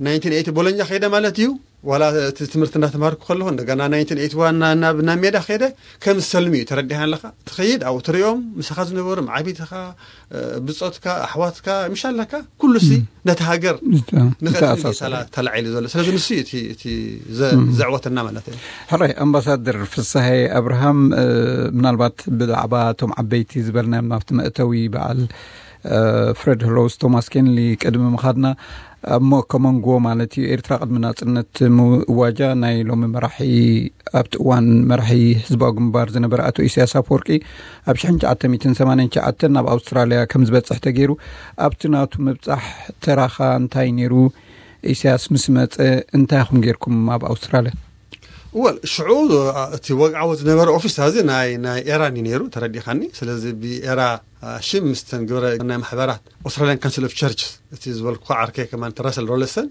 ናይንቲን ኤይቲ ቦሎኛ ከይደ ማለት እዩ። ዋላ እቲ ትምህርቲ እናተማርኩ ከለኹ እንደገና ናይንቲን ኤይቲ ዋን ናብ ናብ ሜዳ ከይደ ከም ዝሰልም እዩ ተረዲኻ ኣለኻ። ትኸይድ ኣብኡ ትሪኦም ምሳኻ ዝነበሩ መዓቢትኻ ብፆትካ ኣሕዋትካ ምሻለካ ኩሉ ሲ ነቲ ሃገር ንኽእል ተላዒሉ ዘሎ ስለዚ ንሱ እቲ እቲ ዘዕወተና ማለት እዩ። ሕራይ ኣምባሳደር ፍሳሐ ኣብርሃም ምናልባት ብዛዕባ እቶም ዓበይቲ ዝበልናዮም ናብቲ መእተዊ በዓል ፍሬድ ሆሎውስ ቶማስ ኬንሊ ቅድሚ ምኻድና ኣብ ሞከመንጎ ማለት እዩ ኤርትራ ቅድሚ ናጽነት ምእዋጃ ናይ ሎሚ መራሒ ኣብቲ እዋን መራሒ ህዝባዊ ግንባር ዝነበረ ኣቶ ኢሳያስ ኣፈወርቂ ኣብ ሽሕን ትሽዓተ ሚእትን ሰማንያን ትሽዓተን ናብ ኣውስትራልያ ከም ዝበጽሕ ተገይሩ ኣብቲ ናቱ ምብጻሕ ተራኻ እንታይ ነይሩ? ኢሳያስ ምስ መጸ እንታይ ኢኹም ጌርኩም ኣብ ኣውስትራልያ? ወል ሽዑ እቲ ወግዓዊ ዝነበረ ኦፊስ እዚ ናይ ናይ ኤራን እዩ ነይሩ ተረዲኻኒ። ስለዚ ብኤራ ሽም ምስተን ግብረ ናይ ማሕበራት Australian Council of Churches እቲ ዝበልኩ ዓርከይ ከማን Russell Rollason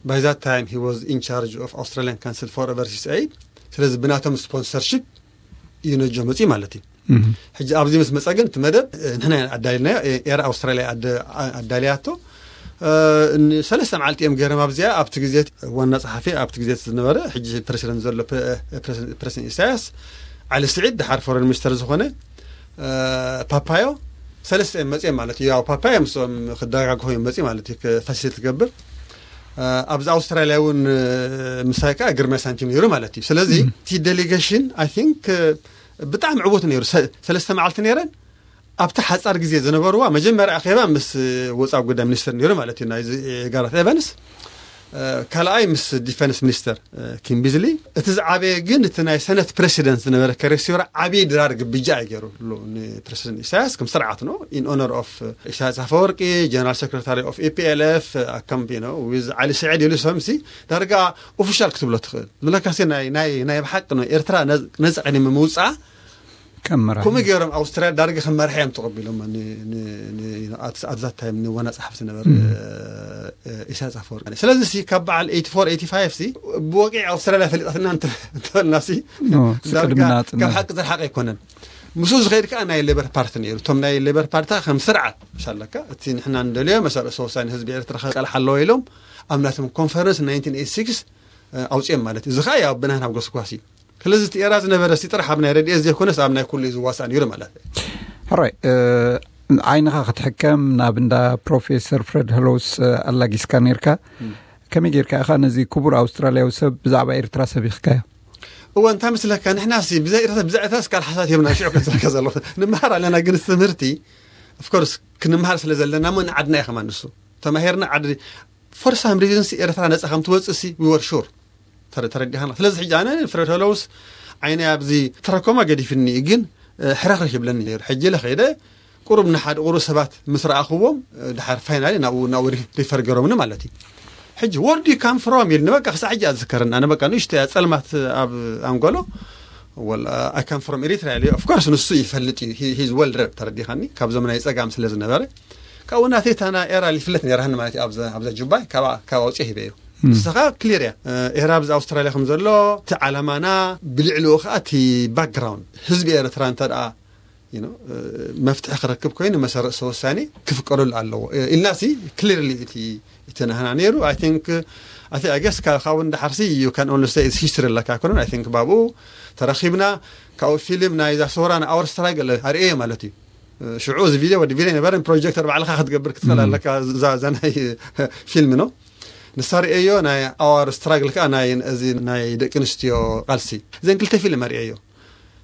by that time he was in charge of Australian Council for Overseas Aid ስለዚ ብናቶም ስፖንሰርሺፕ እዩ ነጆ መፅኡ ማለት እዩ። ሕጂ ኣብዚ ምስ መጸ ግን እቲ መደብ ንሕና ኣዳልናዮ፣ ኤር ኣውስትራልያ ኣዳልያቶ። ሰለስተ መዓልቲ እዮም ገይሮም ኣብዚኣ። ኣብቲ ግዜ ዋና ጸሓፊ ኣብቲ ግዜ ዝነበረ ሕጂ ፕረሲደንት ዘሎ ፕረሲደንት ኢሳያስ፣ ዓሊ ስዒድ፣ ድሓር ፎረን ሚኒስተር ዝኾነ ፓፓዮ፣ ሰለስተ እዮም መጽኦም ማለት እዩ። ያው ፓፓዮ ምስኦም ክደጋግፎ እዮም መጽኡ ማለት እዩ፣ ፋሲሊቲ ትገብር። ኣብዚ ኣውስትራልያ እውን ምሳይ ከዓ ግርማይ ሳንቲም ነይሩ ማለት እዩ። ስለዚ እቲ ዴሌጌሽን ኣይ ቲንክ ብጣዕሚ ዕቡት ነይሩ። ሰለስተ መዓልቲ ነይረን ኣብቲ ሓጻር ግዜ ዝነበርዋ፣ መጀመርያ ኣኼባ ምስ ወጻኢ ጉዳይ ሚኒስትር ነይሩ ማለት እዩ፣ ናይዚ ጋራት ኤቨንስ፣ ካልኣይ ምስ ዲፈንስ ሚኒስተር ኪም ቢዝሊ። እቲ ዝዓበየ ግን እቲ ናይ ሰነት ፕረሲደንት ዝነበረ ከሬሲዮራ ዓብዪ ድራር ግብጃ እዩ ገይሩ ንፕረሲደንት ኢሳያስ ከም ስርዓት ነው። ኢን ኦነር ኦፍ ኢሳያስ ኣፈወርቂ፣ ጀነራል ሴክሬታሪ ኦፍ ኢፒኤልኤፍ ኣካምቢ ነው ዊዝ ዓሊ ስዒድ ኢሉ ሰምሲ ዳርጋ ኦፊሻል ክትብሎ ትኽእል። ዝብለካሲ ናይ ናይ ናይ ብሓቂ ነው ኤርትራ ነዚ ቅድሚ ምውፃኣ ከምኡ ገይሮም ኣውስትራልያ ዳርጋ ከም መራሒ እዮም ተቐቢሎም ኣትዛት ታይም ንዋና ጸሓፊ ዝነበረ ኢሳያስ ኣፈወርቂ። ስለዚ ሲ ካብ በዓል ኤይቲ ፎር ኤይቲ ፋይቭ ሲ ብወቂ ኣውስትራልያ ፈሊጣትና እንተበልና ሲ ዳርጋ ካብ ሓቂ ዝርሓቕ ኣይኮነን። ምስኡ ዝኸይድ ከዓ ናይ ሌበር ፓርቲ ነይሩ። እቶም ናይ ሌበር ፓርቲ ከም ስርዓት ምሻለካ እቲ ንሕና እንደልዮ መሰረሰ ወሳኒ ህዝቢ ኤርትራ ከቃልሓ ኣለዎ ኢሎም ኣብ ናቶም ኮንፈረንስ ናይንቲን ኤይቲ ሲክስ ኣውፅኦም ማለት እዩ። እዚ ከዓ ያው ብናህና ጎስጓስ እዩ። ስለዚ እቲ ኤራ ዝነበረ ሲ ጥራሕ ኣብ ናይ ረድኤት ዘይኮነስ ኣብ ናይ ኩሉ እዩ ዝዋሳእ ነይሩ ማለት እዩ። ሕራይ ዓይንኻ ክትሕከም ናብ እንዳ ፕሮፌሰር ፍረድ ሀሎውስ ኣላጊስካ ነርካ። ከመይ ጌርካ ኢኻ ነዚ ክቡር ኣውስትራልያዊ ሰብ ብዛዕባ ኤርትራ ሰቢኽካዮ? እወ እንታይ መስለካ ንሕና ሲ ብዛይ ኤርትራ ብዛይ ኤርትራ ስካል ሓሳት የብና ሽዑ ከስረካ ዘለኹ ንምሃር ኣለና ግን ትምህርቲ ኦፍኮርስ ክንምሃር ስለ ዘለና ሞ ንዓድና እዩ ከማን ንሱ ተማሂርና ዓዲ for some reason ኤርትራ ነጻ ከም ትወጽእ ሲ we were sure ተረዲኻና። ስለዚ ሕጂ ኣነ ፍረድ ሀሎውስ ዓይነ ኣብዚ ትራኮማ ገዲፍኒ ግን ሕራኽ ይብለኒ ነይሩ። ሕጂ ለኸይደ ቁሩብ ንሓደ ቁሩብ ሰባት ምስ ረኣኽዎም ድሓር ፋይናሊ ናብኡ ናብኡ ሪፈር ገሮምኒ ማለት እዩ። ሕጂ where do you come from ኢልኒ በቃ ክሳዕ ሕጂ ኣዝከረኒ። ኣነ በቃ ንእሽቶ እያ ጸልማት ኣብ ኣንጎሎ well I come from Eritrea ኢሉ of course ንሱ ይፈልጥ እዩ he's well read ተረዲኻኒ ካብዞም ናይ ጸጋም ስለ ዝነበረ ካብኡ ናተይ ታና ኤራ ይፍለት ነራህኒ ማለት እዩ። ኣብዛ ጁባይ ካብ ኣውፅኦ ሂበዮ ንስኻ ክሊር እያ ኤራ ብዚ ኣውስትራልያ ከም ዘሎ እቲ ዓላማና ብልዕልኡ ከዓ እቲ ባክግራውንድ ህዝቢ ኤርትራ እንተ ደኣ መፍትሒ ክረክብ ኮይኑ መሰረሰ ወሳኒ ክፍቀደሉ ኣለዎ ኢልና ሲ ክሊርሊ እቲ እቲ ናህና ነይሩ። I think I guess ካብኡ እንዳሓርሲ you can only say history ኣለካ ኣይኮነን። I think ባብኡ ተረኺብና ካብኡ ፊልም ናይ ዛሶራ ን our struggle ኣርእየ ማለት እዩ። ሽዑ እዚ ቪድዮ ወዲ ቪድዮ ነበረን ፕሮጀክተር ባዕልካ ክትገብር ክትኽእል ኣለካ። እዛ ናይ ፊልም ነው ንሳ ርእየዮ ናይ our struggle ከዓ ናይ እዚ ናይ ደቂ ኣንስትዮ ቃልሲ እዘን ክልተ ፊልም ኣርእየዮ።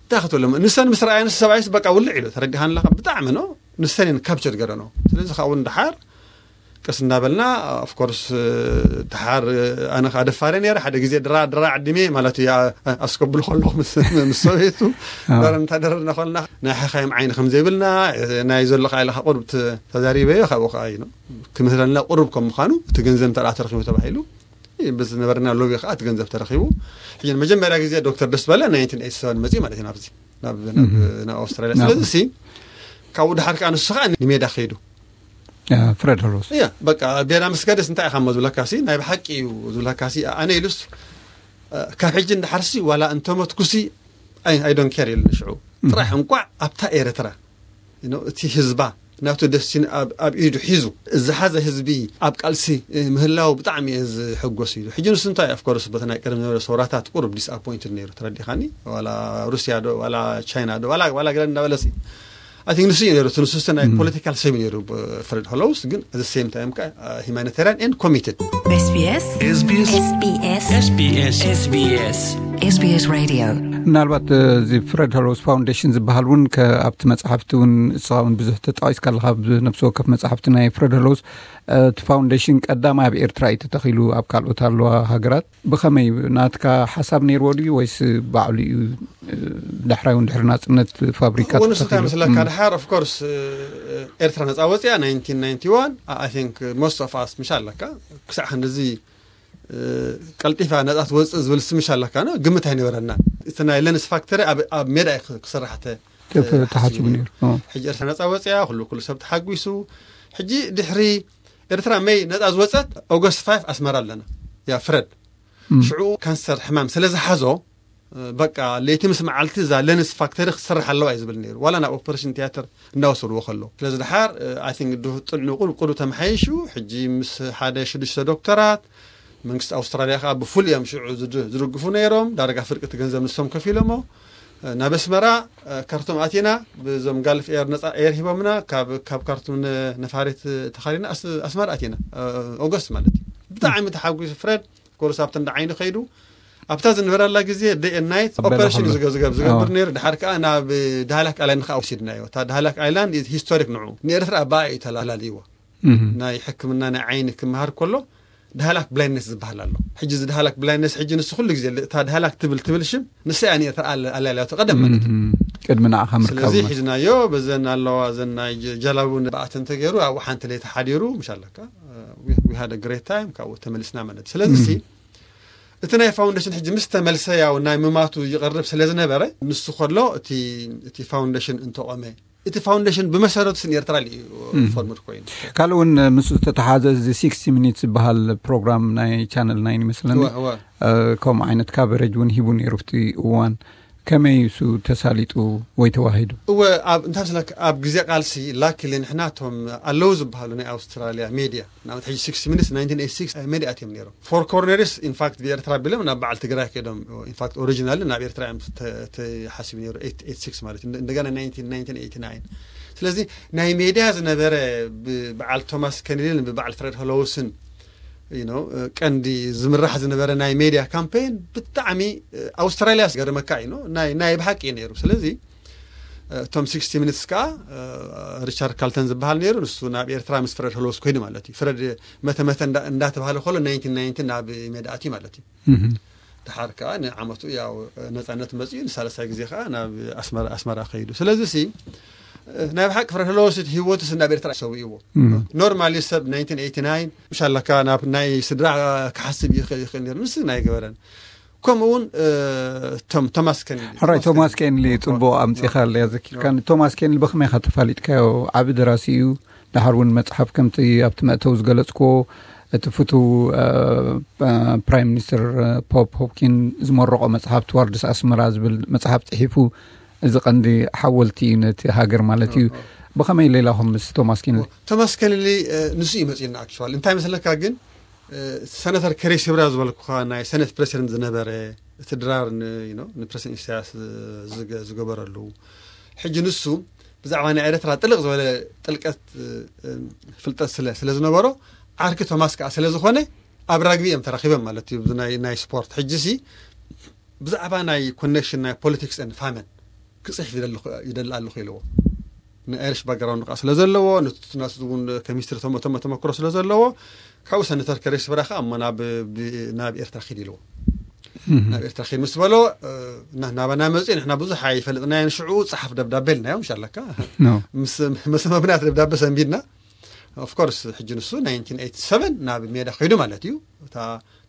እንታይ ክትብሎም ንሰን ምስ ረኣየን ሰብኣይስ በቃ ውልዕ ኢሉ ተረዲኻን ኣለካ ብጣዕሚ ነው ንሰን እየን ካፕቸር ገረኖ። ስለዚ ካብኡ ንድሓር ቀስ እንዳበልና ኦፍኮርስ ድሓር ኣነ ከዓ ደፋረ ነረ ሓደ ግዜ ድራ ድራ ዓዲመ ማለት እዩ ኣስከብሉ ከለኹ ምስ ሰበይቱ ዳር እንታደረድና ከልና ናይ ሓኻይም ዓይኒ ከም ዘይብልና ናይ ዘሎ ከዓ ኢለካ ቁርብ ተዛሪበዮ ካብኡ ከዓ እዩ ክምህረልና ቁርብ ከም ምዃኑ እቲ ገንዘብ እንተ ተረኪቡ ተባሂሉ ብዝነበረና ሎቢ ከዓ እቲ ገንዘብ ተረኪቡ ሕጂ መጀመርያ ግዜ ዶክተር ደስ በለ ናይንቲን ኤይቲ ሰቨን መፅኡ ማለት እዩ ናብዚ ናብ ኣውስትራልያ ስለዚ ሲ ካብኡ ድሓር ከዓ ንሱ ከዓ ንሜዳ ከይዱ ፍረድ ሆሎስ እያ በቃ ቤራ ምስ ከደስ እንታይ ኢኻ ሞ ዝብለካ ሲ ናይ ብሓቂ እዩ ዝብለካ ሲ ኣነ ኢሉስ ካብ ሕጂ እንዳሓርሲ ዋላ እንተመትኩሲ I don't care ኢሉ ንሽዑ ጥራሕ እንቋዕ ኣብታ ኤርትራ እቲ ህዝባ ናቱ ደስቲኒ ኣብ ኢዱ ሒዙ ዝሓዘ ህዝቢ ኣብ ቃልሲ ምህላው ብጣዕሚ እየ ዝሕጎስ ኢሉ ሕጂ ንሱ እንታይ of course በቲ ናይ ቀደም ዝነበረ ሰውራታት ቁሩብ disappointed ነይሩ ተረዲኻኒ ዋላ ሩስያ ዶ ዋላ ቻይና ዶ ዋላ ዋላ ገለ እንዳበለሲ I think ንሱ እዩ ነይሩ እቲ ንሱ ናይ ፖለቲካል ሰብ ነይሩ ፍረድ ሆሎውስ ግን at the same time ከዓ humanitarian and committed SBS SBS SBS SBS Radio ምናልባት እዚ ፍረድ ሆሎውስ ፋውንዴሽን ዝበሃል እውን ኣብቲ መፅሓፍቲ እውን እስኻ እውን ብዙሕ ተጠቂስካ ኣለካ ብነብሲ ወከፍ መፅሓፍቲ ናይ ፍረድ ሆሎውስ እቲ ፋውንዴሽን ቀዳማይ ኣብ ኤርትራ እዩ ተተኺሉ ኣብ ካልኦት ኣለዋ ሃገራት ብኸመይ ናትካ ሓሳብ ነይርዎ ድዩ ወይስ ባዕሉ እዩ ዳሕራይ እውን ድሕሪ ናፅነት ፋብሪካ እውን ንሱ እንታይ ተተኺሉ? መስለካ ድሓር of course ኤርትራ ነፃ ወፅያ ናይንቲን ናይንቲ ዋን I think most of us ምሽ ኣለካ ክሳዕ ክንድዚ ቀልጢፋ ነፃ ትወፅእ ዝብል ስምሽ ኣለካ ኖ ግምት ኣይነበረና እቲ ናይ ለንስ ፋክተሪ ኣብ ሜዳ እዩ ክስራሕ ተ- ተሓሲቡ ነይሩ ሕጂ ኤርትራ ነፃ ወፅያ ኩሉ ኩሉ ሰብ ተሓጒሱ ሕጂ ድሕሪ ኤርትራ መይ ነፃ ዝወፀት ኦገስት ፋይቭ ኣስመራ ኣለና ያ ፍረድ ሽዑ ካንሰር ሕማም ስለ ዝሓዞ በቃ ለይቲ ምስ መዓልቲ እዛ ለንስ ፋክተሪ ክትሰርሕ ኣለዋ እዩ ዝብል ነይሩ። ዋላ ናብ ኦፐሬሽን ቲያትር እናወሰድዎ ከሎ ስለዚ ድሓር ኣይ ቲንክ ጥዕንኡ ቁልቁሉ ተመሓይሹ። ሕጂ ምስ ሓደ ሽዱሽተ ዶክተራት መንግስቲ ኣውስትራልያ ከዓ ብፉል እዮም ሽዑ ዝድግፉ ነይሮም። ዳርጋ ፍርቂ እቲ ገንዘብ ንሶም ከፊሎሞ። ናብ ኣስመራ ካርቱም ኣቲና፣ ብዞም ጋልፍ ኤር ነፃ ኤር ሂቦምና። ካብ ካርቱም ነፋሪት ተኻሪና ኣስመራ ኣቲና። ኦገስት ማለት እዩ። ብጣዕሚ ተሓጒሱ ፍሬድ ኮርስ ኣብተን ደዓይኒ ከይዱ ኣብታ ዝነበረላ ግዜ ደይ ናይት ኦፐሬሽን ዝገብር ነይሩ። ድሓር ከዓ ናብ ዳህላክ ኣይላንድ ከዓ ወሲድናዮ። እታ ዳህላክ ኣይላንድ ሂስቶሪክ ንዑ ንኤርትራ ኣባኣ እዩ ተላልይዋ። ናይ ሕክምና ናይ ዓይኒ ክምሃር ከሎ ዳህላክ ብላይንድነስ ዝበሃል ኣሎ። ሕጂ እዚ ዳህላክ ብላይንድነስ ሕጂ ንሱ ኩሉ ግዜ እታ ዳህላክ ትብል ትብል ሽም ንሳ እያ ንኤርትራ ኣላልያቶ ቀደም ማለት እዩ። ቅድሚ ንዓኻ ምርካብ ስለዚ ሒዝናዮ። በዘን ኣለዋ ዘን ናይ ጀላቡ ብኣተን ተገይሩ ኣብኡ ሓንቲ ለይቲ ሓዲሩ ምሽ ኣለካ we had a great time ካብኡ ተመሊስና ማለት እዩ። ስለዚ ሲ እቲ ናይ ፋውንዴሽን ሕጂ ምስ ተመልሰ ያው ናይ ምማቱ ይቐርብ ስለ ዝነበረ ንሱ ከሎ እቲ ፋውንዴሽን እንተቆመ እቲ ፋውንዴሽን ብመሰረቱ ስን ኤርትራ እዩ ፎርምድ ኮይኑ። ካልእ እውን ምስ ዝተተሓዘ እዚ ሲክስቲ ሚኒትስ ዝበሃል ፕሮግራም ናይ ቻነል ናይን ይመስለኒ ከምኡ ዓይነት ካቨሬጅ እውን ሂቡ ነይሩ ኣብቲ እዋን። ከመይ እሱ ተሳሊጡ ወይ ተዋሂዱ? እወ፣ ኣብ እንታይ ስለካ ኣብ ግዜ ቃልሲ ላኪሊ ንሕና እቶም ኣለዉ ዝበሃሉ ናይ ኣውስትራልያ ሜድያ ንኣብነት ሕጂ ሲክስቲ ሚኒትስ ናይንቲን ኤይቲ ሲክስ ሜድያ ኣትዮም ነይሮም። ፎር ኮርነርስ ኢንፋክት ብኤርትራ ቢሎም ናብ በዓል ትግራይ ከይዶም ኢንፋክት ኦሪጂናል ናብ ኤርትራ እዮም ተሓሲቡ ነይሩ ኤይቲ ኤይቲ ሲክስ ማለት እንደገና ናይንቲን ኤይቲ ናይን። ስለዚ ናይ ሜድያ ዝነበረ ብበዓል ቶማስ ከኒልን ብበዓል ፍሬድ ሆሎውስን ቀንዲ ዝምራሕ ዝነበረ ናይ ሜድያ ካምፔን ብጣዕሚ ኣውስትራልያ ገርመካ እዩ ናይ ብሓቂ እዩ ነይሩ። ስለዚ እቶም ሲክስቲ ሚኒትስ ከዓ ሪቻርድ ካልተን ዝበሃል ነይሩ። ንሱ ናብ ኤርትራ ምስ ፍረድ ሆሎውስ ኮይኑ ማለት እዩ። ፍረድ መተመተ እንዳተባሃለ ከሎ ናይንቲን ናይንቲን ናብ ሜድያ ኣትዩ ማለት እዩ። ድሓር ከዓ ንዓመቱ ያው ነፃነት መፅኡ ንሳለሳይ ግዜ ከዓ ናብ ኣስመራ ከይዱ። ስለዚ ሲ ናይ ብሓቂ ፍረድ ሆሎውስ ህይወቱ ናብ ኤርትራ ሰዊእዎ። ኖርማሊ ሰብ ናይንቲን ኤይቲ ናይን ምሽ ኣለካ ናብ ናይ ስድራ ክሓስብ ይኽእል ይኽእል ነይሩ። ንስ ናይ ገበረን ከምኡ እውን ቶም ቶማስ ከንሊ ሕራይ ቶማስ ከንሊ ፅቡቅ ኣምፂኻለያ ዘኪርካኒ። ቶማስ ከንሊ ብኸመይ ኢኻ ተፋሊጥካዮ? ዓቢ ደራሲ እዩ። ድሓር እውን መፅሓፍ ከምቲ ኣብቲ መእተዊ ዝገለፅክዎ እቲ ፍቱው ፕራይም ሚኒስትር ፖፕ ሆፕኪን ዝመረቆ መፅሓፍ ትዋርድስ ኣስመራ ዝብል መፅሓፍ ፅሒፉ። እዚ ቀንዲ ሓወልቲ እዩ ነቲ ሃገር ማለት እዩ። ብኸመይ ሌላኹም ምስ ቶማስ ኬንሊ? ቶማስ ኬንሊ ንሱ እዩ መፅኡና። ኣክቹዋሊ እንታይ መስለካ ግን ሰነተር ከሬስ ህብራ ዝበልኩኻ ናይ ሰነት ፕሬሲደንት ዝነበረ እቲ ድራር ንፕሬሲደንት ኢሳያስ ዝገበረሉ ሕጂ ንሱ ብዛዕባ ናይ ኤርትራ ጥልቕ ዝበለ ጥልቀት ፍልጠት ስለ ስለ ዝነበሮ ዓርኪ ቶማስ ከዓ ስለ ዝኾነ ኣብ ራግቢ እዮም ተራኺቦም ማለት እዩ። ናይ ስፖርት ሕጂ ሲ ብዛዕባ ናይ ኮኔክሽን ናይ ፖለቲክስ ን ፋመን ክፅሕፍ ይደሊ ኣለኹ ኢልዎ። ንኣይሪሽ ባክግራውንድ ከዓ ስለ ዘለዎ ንናሱ እውን ከሚስትሪ ተመክሮ ስለ ዘለዎ ካብኡ ሰነተር ከሬስ ብራኻ እሞ ናብ ኤርትራ ኪድ ኢልዎ። ናብ ኤርትራ ኪድ ምስ በሎ ናባና መፅኡ ንሕና ብዙሕ ኣይፈልጥናዮን። ሽዑ ፀሓፍ ደብዳቤ ኢልናዮ። ምሽ ኣለካ ምስ መብናት ደብዳቤ ሰንቢድና ኦፍኮርስ ሕጂ ንሱ ናይንቲን ኤይቲ ሰቨን ናብ ሜዳ ከይዱ ማለት እዩ። እታ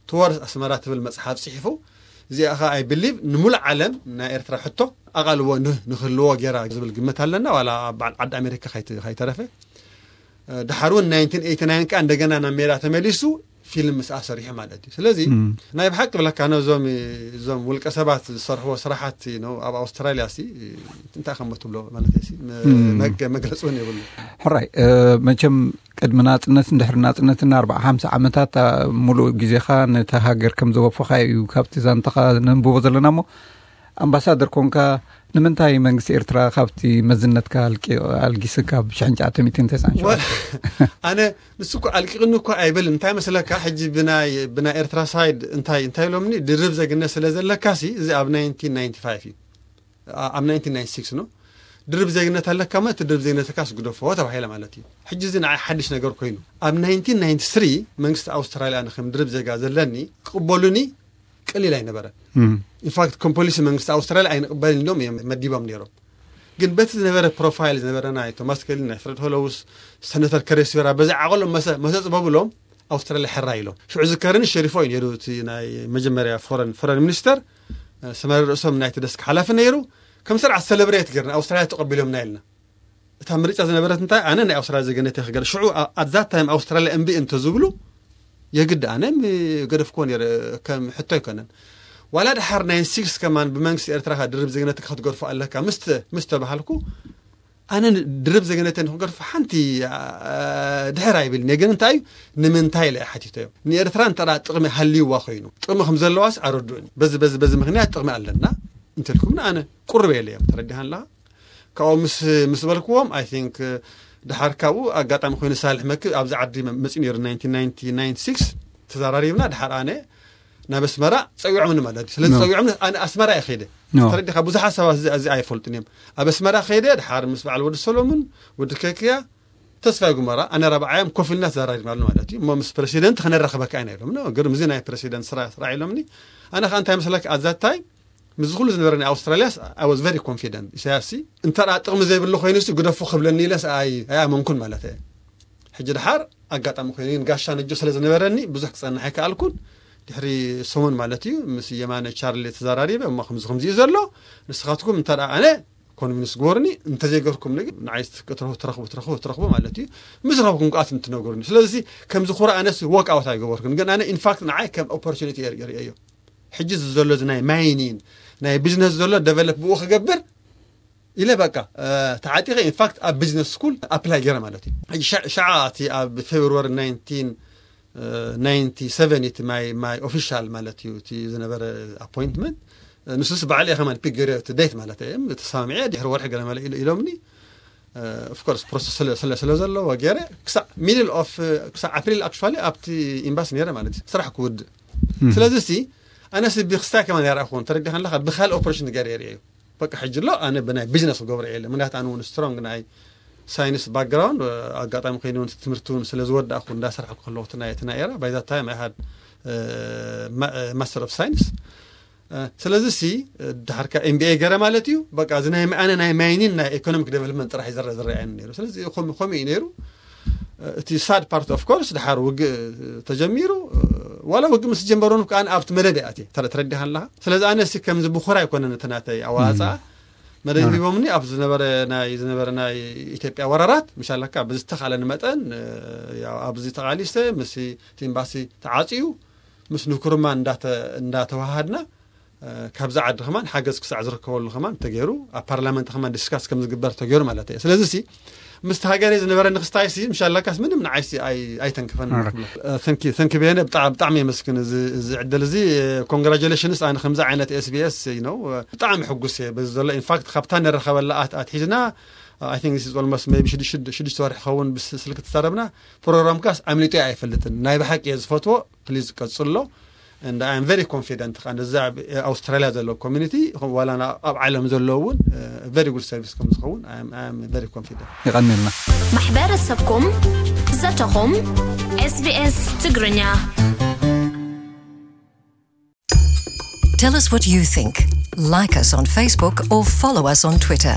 ትወርስ ኣስመራ ትብል መፅሓፍ ፅሒፉ እዚኣ ኸ ኣይ ብሊቭ ንሙሉእ ዓለም ናይ ኤርትራ ሕቶ ኣቓልቦ ንክህልዎ ጌራ ዝብል ግምት ኣለና። ዋላ ኣብ በዓል ዓዲ ኣሜሪካ ከይተረፈ ድሓር እውን ናይንቲን ኤይቲ ናይን ከዓ እንደገና ናብ ሜዳ ተመሊሱ ፊልም ምስኣ ሰሪሑ ማለት እዩ። ስለዚ ናይ ብሓቂ ብለካ ነዞም እዞም ውልቀ ሰባት ዝሰርሕዎ ስራሓት ኣብ ኣውስትራልያ ሲ እንታይ ከም ትብሎ ማለት መግለፂ እውን የብሉ። ሕራይ መቸም ቅድሚ ናፅነትን ድሕሪ ናፅነትን ኣርባዓ ሓምሳ ዓመታት ሙሉእ ግዜኻ ነታ ሃገር ከም ዘወፈኻ እዩ ካብቲ ዛንታኻ ነንብቦ ዘለና። እሞ ኣምባሳደር ኮንካ ንምንታይ መንግስቲ ኤርትራ ካብቲ መዝነትካ ኣልጊስካ ብ ሽሕን ትሽዓተ ሚእትን ተስዓን ሸውዓተን? ኣነ ንሱ እኮ ኣልቂቕኒ እኮ ኣይበልን። እንታይ መስለካ ሕጂ ብናይ ብናይ ኤርትራ ሳይድ እንታይ እንታይ ኢሎምኒ ድርብ ዘግነት ስለ ዘለካ ሲ እዚ ኣብ ናይንቲን ናይንቲ ፋይቭ እዩ ኣብ ናይንቲን ናይንቲ ሲክስ ኖ ድርብ ዜግነት ኣለካ ማለት ድርብ ዜግነትካ ስግደፎ ተባሂለ ማለት እዩ። ሕጂ እዚ ንዓይ ሓድሽ ነገር ኮይኑ ኣብ ናይንቲን ናይንቲ ስሪ መንግስቲ ኣውስትራልያ ንክም ድርብ ዜጋ ዘለኒ ክቕበሉኒ ቀሊል ኣይነበረን። ኢንፋክት ኮም ፖሊሲ መንግስቲ ኣውስትራልያ ኣይንቕበልን ኢሎም እዮም መዲቦም ነይሮም። ግን በቲ ዝነበረ ፕሮፋይል ዝነበረ ናይ ቶማስ ከሊ ናይ ፍረድ ሆሎውስ ሰነተር ከሬስዮራ በዚ ዓቐሎም መሰ መሰ ፅበብሎም ኣውስትራልያ ሕራ ኢሎም። ሽዑ ዝከረኒ ሸሪፎ እዩ ነይሩ እቲ ናይ መጀመርያ ፎረን ፎረን ሚኒስተር ሰመረ ርእሶም ናይቲ ደስክ ሓላፊ ነይሩ። ከም ስርዓት ሰለብሬት ገርና ኣውስትራልያ ተቐቢሎምና ኢልና እታ ምርጫ ዝነበረት እንታይ ኣነ ናይ ኣውስትራልያ ዜግነት ክገር ሽዑ ኣዛት ታይም ኣውስትራልያ እምቢ እንተዝብሉ የግዲ ኣነ ገደፍኮ ነረ ከም ሕቶ ኣይኮነን። ዋላ ድሓር ናይ ስክስ ከማን ብመንግስቲ ኤርትራ ድርብ ዜግነትካ ክትገድፎ ኣለካ ምስ ተ- ምስ ተባሃልኩ ኣነ ን- ድርብ ዜግነተይ ንክገድፎ ሓንቲ አ፣ ድሕር ኣይብልን እየ። ግን እንታይ እዩ ንምንታይ ኢለ እየ ሓቲተዮ። ንኤርትራ እንተ ደኣ ጥቕሚ ሃልይዋ ኮይኑ ጥቕሚ ከም ዘለዋስ ኣረድኡኒ። በዚ በዚ በዚ ምክንያት ጥቕሚ ኣለና እንተልኩምና ኣነ ቁርብ የለ እዮም ተረዲሃን ኣለኻ። ካብኡ ምስ ምስ በልክዎም ኣይ ቲንክ ድሓር ካብኡ ኣጋጣሚ ኮይኑ ሳልሕ መክ ኣብዚ ዓዲ መ- መፂኡ ነይሩ ናይንቲን ናይንቲ ናይንቲ ሲክስ ተዘራሪብና ድሓር ኣነ ናብ ኣስመራ ፀዊዖምኒ ማለት እዩ። ስለዚ ኖ። ፀዊዖምኒ ኣነ ኣስመራ እየ ከይደ ኖ። ተረዲኻ ብዙሓት ሰባት እዚ እዚ ኣይፈልጡን እዮም። ኣብ ኣስመራ ከይደ ድሓር ምስ በዓል ወዲ ሰሎሙን ወዲ ከክያ ተስፋ ጉመራ ኣነ ራብዓዮም ኮፍ ኢልና ተዘራሪብናሉ ማለት እዩ። እሞ ምስ ፕረሲደንት ክነራኽበካ ኢና ኢሎም ኖ ግርም እዚ ናይ ፕረሲደንት ስራ ስራሕ ኢሎምኒ። ኣነ ከዓ እንታይ መስለካ ኣዛታይ ምስ ኩሉ ዝነበረ ናይ ኣውስትራሊያ I was very confident ኢሳያስ ሲ እንተ ደኣ ጥቕሚ ዘይብሉ ኮይኑ ሲ ግደፉ ክብለኒ ኢለስ ኣይ ኣይኣመንኩን ማለት እየ። ሕጂ ድሓር ኣጋጣሚ ኮይኑ ግን ጋሻ ነጆ ስለ ዝነበረኒ ብዙሕ ክጸንሕ ኣይከኣልኩን። ድሕሪ ሰሙን ማለት እዩ ምስ የማነ ቻርሊ ተዘራሪበ እሞ ከምዚ ከምዚ እዩ ዘሎ ንስኻትኩም እንተ ደኣ ኣነ ኮንቪንስ ግበሩኒ እንተዘይገርኩም ንግ ንዓይ ክትረኽቡ ትረኽቡ ትረኽቡ ትረኽቡ ማለት እዩ። ምስ ረኽብኩም ከኣ ትነግሩኒ። ስለዚ ከምዚ ኩራ ኣነስ ወክ ኣውት ኣይገበርኩን ግን ኣነ ኢንፋክት ንዓይ ከም ኦፖርቹኒቲ እየ ርእየዮ። ሕጂ እዚ ዘሎ እዚ ናይ ማይኒን ናይ ቢዝነስ ዘሎ ደቨሎፕ ብኡ ክገብር ኢለ በቃ እ፣ ተዓጢቐ ኢንፋክት ኣብ ቢዝነስ ስኩል ኣፕላይ ገይረ ማለት እዩ። ሕጂ ሸ- ሸዓ እቲ ኣብ ፌብሩዋሪ ናይንቲን ናይንቲ ሰቨን እቲ ማይ ማይ ኦፊሻል ማለት እዩ እቲ ዝነበረ ኣፖይንትመንት ንሱስ በዓል እየ ከማን ፒክ ገይረ እቲ ዴት ማለት እየ ተሰማሚዐ ድሕሪ ወርሒ ገለ መለ ኢሎ- ኢሎምኒ ኦፍኮርስ ፕሮሰስ ስለ ስለ- ስለ ዘለዎ ገይረ ክሳዕ ሚድል ኦፍ ክሳዕ ኣፕሪል ኣክቹዋሊ ኣብቲ ኤምባሲ ነይረ ማለት እዩ ስራሕ ክውድእ። ስለዚ ሲ ኣነስ ብክስታይ ከማን ያርኣኹን ተረዲኻ ኣለካ ብካል ኦፕሬሽን ገይረ የርእየ እዩ። በቃ ሕጂ ኣሎ ኣነ ብናይ ቢዝነስ ክገብሮ እየ ምክንያቱ ኣነ እውን ስትሮንግ ናይ ሳይንስ ባክግራውንድ ኣጋጣሚ ኮይኑ እውን ትምህርቲ እውን ስለ ዝወዳእኩ እንዳሰርሐኩ ከለኹ እቲ ናይ እቲ ናይ ኤራ ባይዛ ታይም ኣይ ሃድ ማስተር ኦፍ ሳይንስ። ስለዚ ሲ ድሓርካ ኤምቢኤ ገረ ማለት እዩ። በቃ እዚ ናይ ኣነ ናይ ማይኒን ናይ ኢኮኖሚክ ዴቨሎፕመንት ጥራሕ ዝረ ዝረኣየኒ ነይሩ። ስለዚ ከም- ከምኡ እዩ ነይሩ። እቲ ሳድ ፓርት ኦፍ ኮርስ ድሓር ውግእ ተጀሚሩ። ዋላ ውግእ ምስ ጀመሩ ከኣ ኣብቲ መደብ እያ ኣትየ ተረ- ተረዲኻ ኣለኻ። ስለዚ ኣነ ሲ ከምዚ ብኹራ ኣይኮነን እቲ ናተይ ኣዋፃ መደብ ሂቦምኒ ኣብ ዝነበረ ናይ ዝነበረ ናይ ኢትዮጵያ ወራራት ምሻለካ ብዝተኻለኒ መጠን እ፣ ያው ኣብዚ ተቓሊሰ ምስ እቲ ኤምባሲ ተዓፅዩ ምስ ንክሩማ እንዳተ- እንዳተዋሃድና እ፣ ካብዚ ዓዲ ከማን ሓገዝ ክሳዕ ዝርከበሉ ከማን ተገይሩ ኣብ ፓርላመንት ከማን ዲስካስ ከም ዝግበር ተገይሩ ማለት እየ። ስለዚ ሲ ምስቲ ሃገረይ ዝነበረ ንክስታይ ሲ ምሻላካስ ምንም ንዓይ ሲ ኣይ- ኣይተንክፈን ኦራይት። ንብሎ። እ፣ ተንኪ ተንኪ በየነ ብጣዕሚ ብጣዕሚ የመስግን እዚ እዚ ዕድል እዚ ኮንግራጁሌሽንስ ኣነ ከምዚ ዓይነት ኤስቢኤስ ነው ብጣዕሚ ሕጉስ እየ በዚ ዘሎ ኢንፋክት ካብታ ንረኸበላ ኣት- ኣትሒዝና I think this is almost maybe ሽዱሽተ ሽዱሽተ ወርሒ ክኸውን ብስልኪ ተዛረብና። ፕሮግራምካስ ኣምሊጡ ኣይፈልጥን ናይ ብሓቂ እየ ዝፈትዎ። ፕሊዝ ቀጽሎ። And I am very confident ከዓ ነዚ ኣብ ኣውስትራሊያ ዘሎ ኮሚኒቲ ዋላ ኣብ ዓለም ዘሎ እውን very good service ከም ዝኸውን I am- I am very confident። ይቐንልና። ማሕበረሰብኩም ዘተኹም SBS ትግርኛ Tell us what you think. Like us on Facebook or follow us on Twitter.